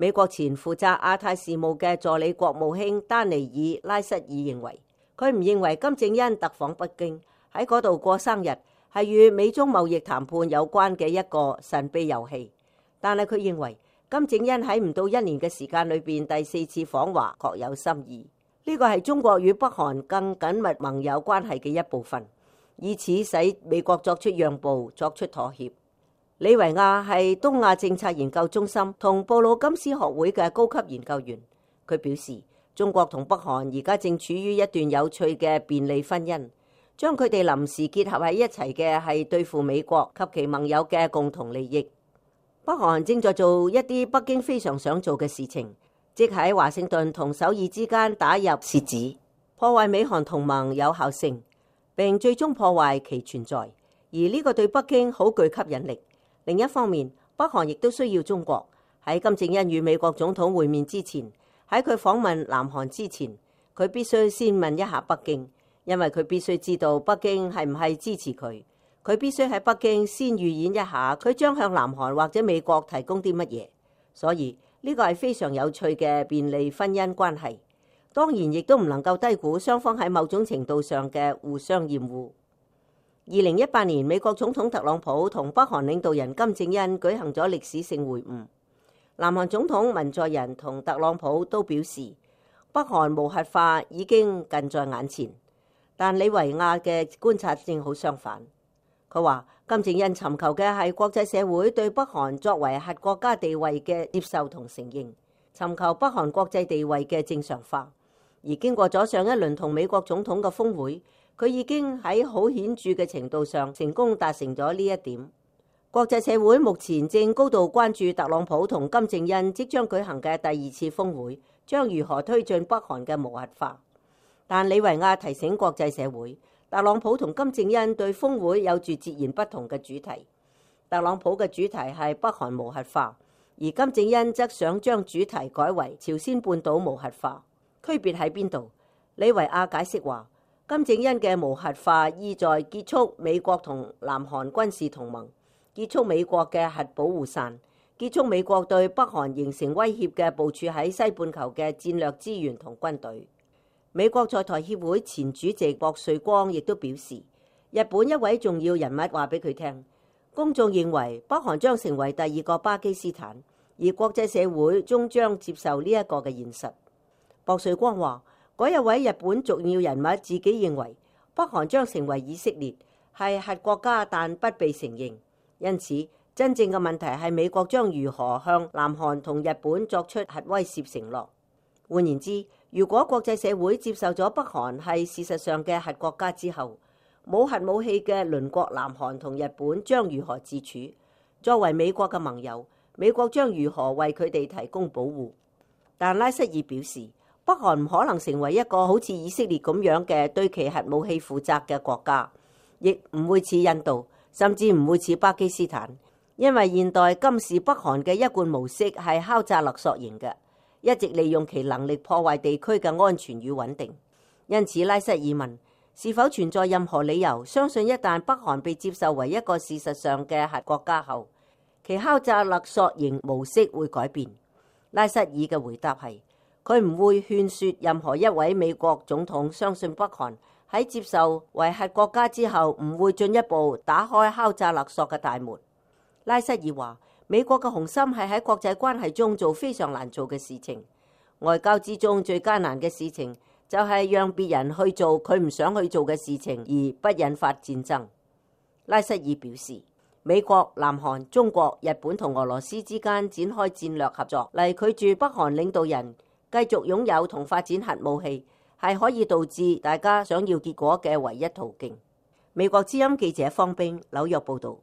美國前負責亞太事務嘅助理國務卿丹尼爾拉瑟爾認為，佢唔認為金正恩特訪北京喺嗰度過生日係與美中貿易談判有關嘅一個神秘遊戲，但係佢認為金正恩喺唔到1年嘅時間裏邊第4次訪華各有心意，呢個係中國與北韓更緊密盟友關係嘅一部分，以此使美國作出讓步、作出妥協。李維亞係東亞政策研究中心同布魯金斯學會嘅高級研究員，佢表示中國同北韓而家正處於一段有趣嘅便利婚姻，將佢哋臨時結合喺一齊嘅係對付美國及其盟友嘅共同利益。北韓正在做一啲北京非常想做嘅事情，即喺華盛頓同首爾之間打入楔子，破壞美韓同盟有效性，並最終破壞其存在，而呢個對北京好具吸引力。另一方面，北韓亦都需要中國。喺金正恩與美國總統會面之前，喺佢訪問南韓之前，佢必須先問一下北京，因為佢必須知道北京係唔係支持佢。佢必須喺北京先預演一下佢將向南韓或者美國提供啲乜嘢。所以呢個係非常有趣嘅便利婚姻關係。當然亦都唔能夠低估雙方喺某種程度上嘅互相厭惡。2018年，美國總統特朗普同北韓領導人金正恩舉行咗歷史性會晤。南韓總統文在寅同特朗普都表示，北韓無核化已經近在眼前。但李維亞嘅觀察正好相反。佢話金正恩尋求嘅係國際社會對北韓作為核國家地位嘅接受同承認，尋求北韓國際地位嘅正常化。而經過咗上一輪同美國總統嘅峰會，佢已經喺好顯著嘅程度上成功達成咗呢一點。國際社會目前正高度關注特朗普同金正恩即將舉行嘅第2次峰會將如何推進北韓嘅無核化。但李維亞提醒國際社會，特朗普同金正恩對峰會有住截然不同嘅主題。特朗普嘅主題係北韓無核化，而金正恩則想將主題改為朝鮮半島無核化。區別喺邊度？李維亞解釋話，金正恩嘅無核化意在結束美國同南韓軍事同盟，結束美國嘅核保護傘，結束美國對北韓形成威脅嘅部署喺西半球嘅戰略資源同軍隊。美國在台協會前主席博瑞光亦都表示，日本一位重要人物話俾佢聽，公眾認為北韓將成為第2個巴基斯坦，而國際社會終將接受呢一個嘅現實。博瑞光話，嗰一位日本重要人物自己認為北韓將成為以色列，係核國家但不被承認，因此真正嘅問題係美國將如何向南韓同日本作出核威懾承諾。換言之，如果國際社會接受咗北韓係事實上嘅核國家之後，冇核武器嘅鄰國南韓同日本將如何自處？作為美國嘅盟友，美國將如何為佢哋提供保護？但拉瑟爾表示，北韓唔可能成為一個好似以色列咁樣嘅對其核武器負責嘅國家，亦唔會似印度，甚至唔會似巴基斯坦，因為現代今時北韓嘅一貫模式係敲詐勒索型嘅，一直利用其能力破壞地區嘅安全與穩定。因此，拉瑟爾問，是否存在任何理由相信一旦北韓被接受為一個事實上嘅核國家後，其敲詐勒索型模式會改變？拉瑟爾嘅回答係，佢唔會勸說任何一位美國總統相信北韓喺接受為核國家之後唔會進一步打開敲詐勒索嘅大門。拉瑟爾話，美國嘅雄心係喺國際關係中做非常難做嘅事情，外交之中最艱難嘅事情就係讓別人去做佢唔想去做嘅事情而不引發戰爭。拉瑟爾表示，美國、南韓、中國、日本同俄羅斯之間展開戰略合作嚟拒絕北韓領導人繼續擁有同發展核武器，係可以導致大家想要結果嘅唯一途徑。美國之音記者方冰，紐約報導。